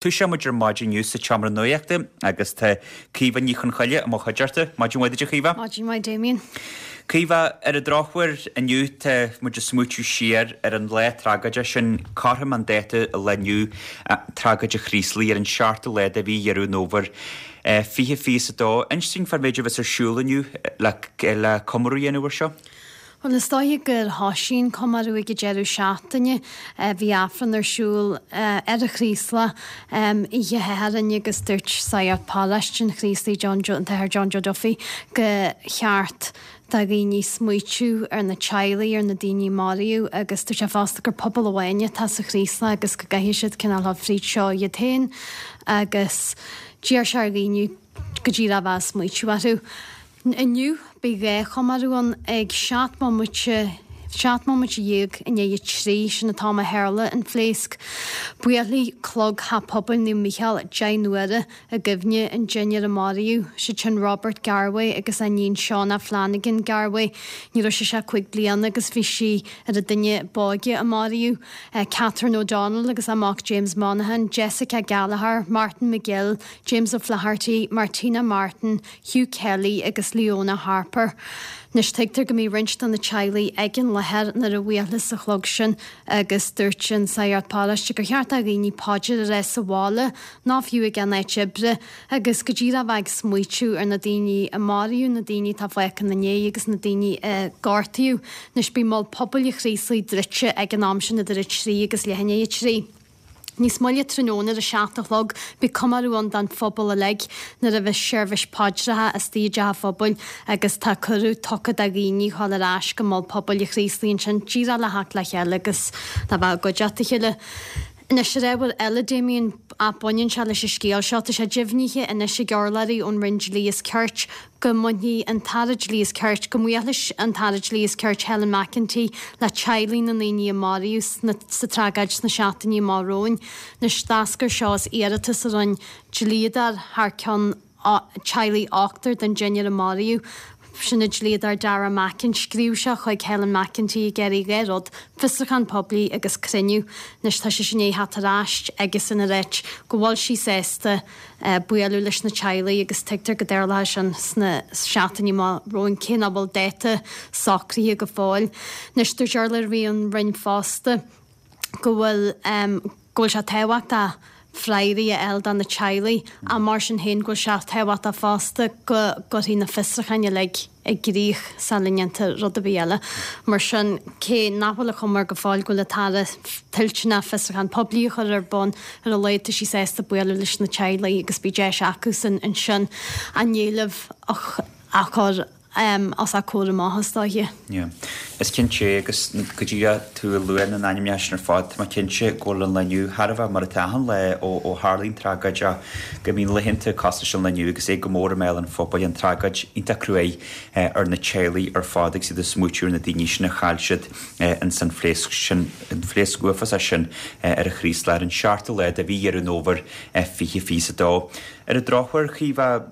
Toiseoidh muid ar maidin inniu sa tseomra nuachta agus tá Caoimhe Ní Chonchoille i mo chuideachta. Maidin mhaith duit a Chaoimhe. Maidin mhaith Damien. Caoimhe, ar an drochuair inniu tá muid ag smaoitiú siar ar an lá tragóideach sin, cothrom an dáta an lae inniu, tragóid an Chraoslaigh ar an seachtú lá de mhí Dheireadh an Fhómhair 2022. Inis dúinn fán mhéid a bheas ar siúl inniu le comóradh a dhéanamh air seo. Bhuel, is dóiche gur thoisigh an comóradh ag an deireadh seachtaine. Bhí Aifreann ar siúl ar an Chraoslach oíche Shathairn agus dúirt Sagart Paróiste an Chraoslaigh, John Joe, an tAthair John Joe Duffy, go cheart do dhaoine smaoitiú ar na teaghlaigh, ar na daoine a maraíodh agus dúirt sé fosta gur pobal amháin atá sa Chraoslach agus go gcaithfidh siad cineál dul fríd seo iad féin agus d'iarr sé ar dhaoine go díreach a bheith ag smaoitiú orthu. Inniu, beidh 2 chomóradh ann ag 17 bomaite, 17 bomaite i ndiaidh a 3, sin an t-am a tharla an phléasc. Buailfidh clog Theach Pobail Naomh Mícheál 10 n-uaire i gcuimhne an deichniúr a maraíodh, siad sin Robert Garwe agus a iníon Shauna Flanagan Garwe. Ní raibh sise ach 5 bliana agus bhí sí ar an duine b'óige a maraíodh. Catherine O'Donnell agus a mac James Monaghan, Jessica Gallagher, Martin McGill, James O'Flaherty, Martina Martin, Hugh Kelly agus Leona Harper. Anois tuigtear go mbeidh roinnt de na teaghlaigh ag an láthair nuair a bhuailfeas an chlog sin agus dúirt an Sagart Paróiste gur cheart do dhaoine paidir a rá sa bhaile nó fiú ag a n-áit oibre agus go díreach a bheith ag smaoitiú ar na daoine a maraíodh, na daoine atá fágtha ina ndiaidh agus na daoine a gortaíodh. Anois beidh Mol Pobail an Chraoslaigh druidte ag an am sin idir 3 agus leath i ndiaidh 3. Níos moille tráthnóna ar a 7 a chlog beidh comóradh ann don phobal uilig nuair a bheas seirbhís paidreacha istigh i dteach an phobail agus tá cuireadh tugtha do dhaoine dhul ar ais go Mol Pobail an Chraoslaigh ansin díreach le theacht le chéile agus le bheith i gcuideachta a chéile. Anois ar ábhar eile, Damien, ach baineann sé leis an scéal seo, tá sé deimhnithe anois ag urlabhraí ón Roinn Dlí is Cirt go mbainfidh an tAire Dlí is Cirt, go mbuailfidh an tAire Dlí is Cirt Helen McEntee le teaghlaigh na ndaoine a maraíodh sa tragóid sna seachtainí amach romhainn. Anois, d'eascair seo as iarratas a rinne dlíodóir thar ceann teaghlaigh ochtar den deichniúr a maraíodh. Sin an dlíodóir Dara Mackin. Scríobh sé chuig Helen McEntee ag iarraidh 2 rud, fiosrúchán poiblí agus cruinniú. Anois tá sise i ndiaidh theacht ar ais aigesean ag ráit go bhfuil sí sásta bualadh leis na teaghlaigh agus tuigtear go dtarlóidh sin sna seachtainí amach romhainn, cé nach bhfuil dáta socraithe go fóill. Anois, dúirt urlabhraí ón Roinn fosta go bhfuil go bhfuil sé tábhachtach freagraí a fháil do na teaghlaigh ach mar sin féin go bhfuil sé tábhachtach fosta go gcuirfí na fiosrúcháin uilig i gcrích sula ndéantar rud ar bith eile. Mar sin, cé nach bhfuil an chuma air go fóill go bhfuil an tAire toilteanach fiosrúchán poiblí a chur ar bun, ar a laghad tá sí sásta bualadh leis na teaghlaigh agus beidh deis acusan ansin a n-éilimh a chur os a gcomhair amach, is dóiche. Yeah. Is cinnte é agus go díreach tú ag lua na n-ainmneacha sin ar fad, tá mé cinnte go bhfuil an lá inniu thar a bheith mar atá achan lá ó tharlaigh an tragóid ach go mbíonn laethanta cosúil leis an lá inniu agus é go mór i mbéal an phobail, an tragóid iontach cruaidh ar na teaghlaigh ar fad agus iad ag smaoitiú ar na daoine sin a chaill siad ins an phléasc sin, an phléasc uafásach sin ar an Chraoslach ar an seachtú lá de mhí Dheireadh an Fhómhair 2022. Ar an drochuair, Chaoimhe,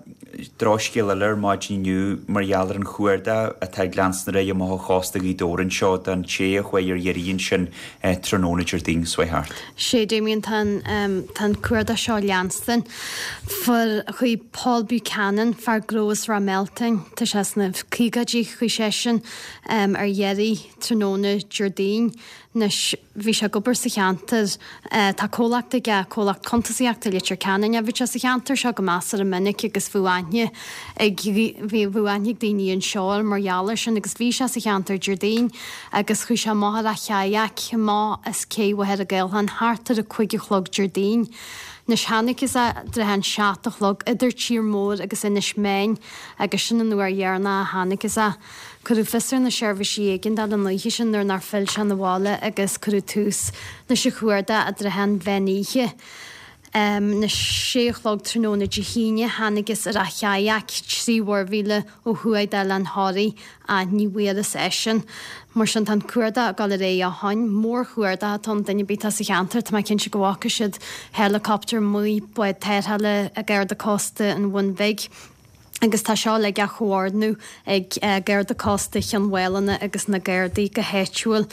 drochscéal eile ar maidin inniu mar gheall ar an chuardach atá ag leanstan ar aghaidh amach ó chósta Ghaoth Dobhair anseo don té a chuaigh ar iarraidh ansin tráthnóna Déardaoin seo thart. Sea, Damien, tá an tá an cuardach seo ag leanstan. Fuair chuaigh Paul Buchanan, fear gnó as Ráth Mealtain, tá sé sna caogaidí, chuaigh seisean ar iarraidh tráthnóna Déardaoin. Anois, bhí sé ag obair sa cheantar, tá comhlacht aige, comhlacht cuntasaíochta i Leitir Ceanainn. Bhí sé sa cheantar seo go measartha minic agus bhíodh aithne ag, bhíodh aithne ag daoine anseo air mar gheall air sin agus bhí sé sa cheantar Déardaoin agus chuaigh sé amach ar a chayak amach as cé Mhachaire Gathlán thart ar a 5 a chlog Déardaoin. Anois thángthas air i dtrátha an 7 a chlog idir Tír Mór agus Inis Meáin agus sin an uair dheireanach a thángthas air. Cuireadh fios ar na seirbhísí éigeandála an oíche sin nuair nár phill sé 'na bhaile agus cuireadh tús leis an chuardach i dtrátha an mheán oíche. Anois sé a chlog tráthnóna Dé hAoine thángthas ar a chayak 3 mhuirmhíle ó thuaidh d'Oileán Thoraí ach ní bhfuarthas eisean. Mar sin tá an cuardach ag dul ar aghaidh ó shoin. Mórchuardach atá ann duine ar bith atá sa cheantar tá mé cinnte go bhfaca siad helicopter amuigh, bád tarrthála, Garda Cósta an Bhun Bhig. agus tá seo uilig á chomhordnú ag Garda Cósta Chionn Mhálanna agus na Gardaí go háitiúil.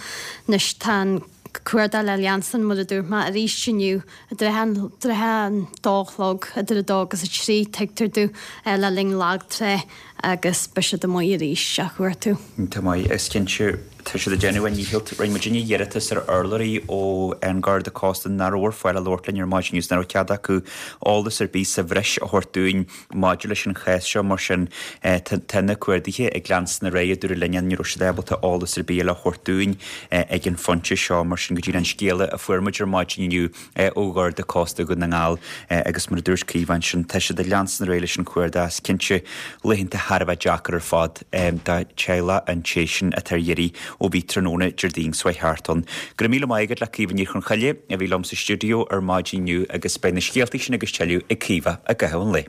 Anois tá an. Cuardach le leanstan mar a dúirt mé arís inniu i dtrátha an dó a chlog, idir a dó agus a trí, tuigtear domh, le linn lag trá agus beidh siad amuigh arís á chuartú. Tá maith, is cinnte, tá siad ag déanamh a ndícheall. Rinne muidinne iarratas ar urlabhraí ó An Garda Cósta nach raibh ar fáil a labhairt linn ar maidin agus nach raibh cead acu eolas ar bith sa bhreis a thabhairt dúinn maidir leis an chás seo. Mar sin, tá na cuardaithe ag leanstan ar aghaidh, a dúradh linn, ní raibh siad ábalta eolas ar bith eile a thabhairt dúinn ag an phointe seo. Mar sin, go díreach an scéala a fuair muid ar maidin inniu ó Gharda Cósta Dhún na nGall agus mar a dúirt Caoimhe ansin, tá siad ag leanstan ar aghaidh leis an chuardach. Is cinnte, laethanta thar a bheith deacair ar fad do theaghlach an té sin atá ar iarraidh ó bhí tráthnóna Déardaoin seo thart ann. Go raibh míle maith agat le Caoimhe Ní Chonchoille a bhí liom sa stiúideo ar maidin inniu agus beidh na scéalta sin agus tuilleadh ag Caoimhe i gcaitheamh an lae.